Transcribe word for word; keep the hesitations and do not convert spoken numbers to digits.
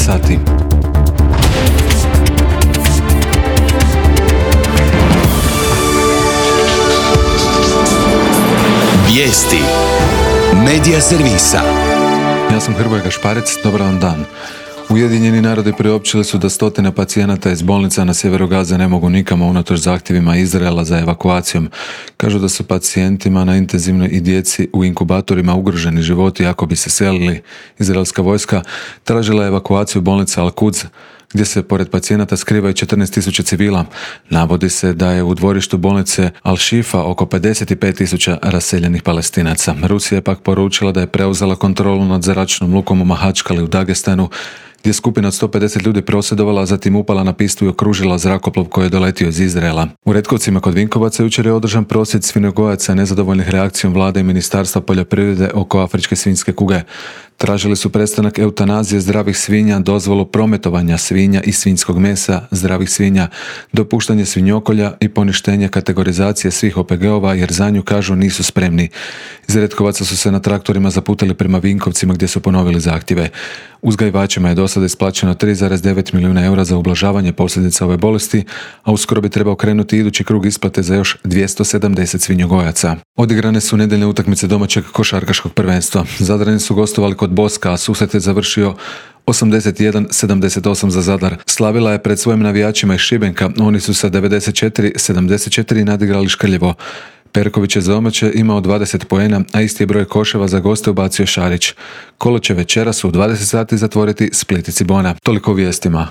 sati. Vijesti Medija servisa. Ja sam Hrvoje Gašparec, dobar vam dan. Ujedinjeni narodi priopćili su da stotine pacijenata iz bolnica na sjeveru Gaze ne mogu nikamo unatoč zahtjevima Izraela za evakuacijom. Kažu da su pacijentima na intenzivnoj i djeci u inkubatorima ugroženi životi ako bi se selili. Izraelska vojska tražila evakuaciju bolnica Al-Quds, gdje se pored pacijenata skrivaju četrnaest tisuća civila. Navodi se da je u dvorištu bolnice Al-Shifa oko pedeset pet tisuća raseljenih Palestinaca. Rusija je pak poručila da je preuzela kontrolu nad zračnom lukom u Mahačkali u Dagestanu, gdje je skupina od sto pedeset ljudi prosvjedovala, a zatim upala na pistu i okružila zrakoplov koji je doletio iz Izraela. U Retkovcima kod Vinkovaca jučer je održan prosvjed svinjogojaca nezadovoljnih reakcijom vlade i Ministarstva poljoprivrede oko afričke svinjske kuge. Tražili su prestanak eutanazije zdravih svinja, dozvolu prometovanja svinja i svinjskog mesa, zdravih svinja, dopuštanje svinjokolja i poništenje kategorizacije svih O P G-ova jer za nju, kažu, nisu spremni. Iz Retkovaca su se na traktorima zaputili prema Vinkovcima gdje su ponovili zahtjeve. Uzgajivačima je do sada isplaćeno tri zarez devet milijuna eura za ublažavanje posljedica ove bolesti, a uskoro bi trebao krenuti idući krug isplate za još dvjesto sedamdeset svinjogojaca. Odigrane su nedjeljne utakmice domaćeg košarkaškog prvenstva. Zadrani su gostovali kod Boska, a susret je završio osamdeset jedan sedamdeset osam za Zadar. Slavila je pred svojim navijačima iz Šibenka, oni su sa devedeset četiri sedamdeset četiri nadigrali Škrljevo. Perković je za domaće imao dvadeset poena, a isti je broj koševa za goste ubacio Šarić. Kolo će večeras u dvadeset sati zatvoriti Split i Cibona. Toliko u vijestima.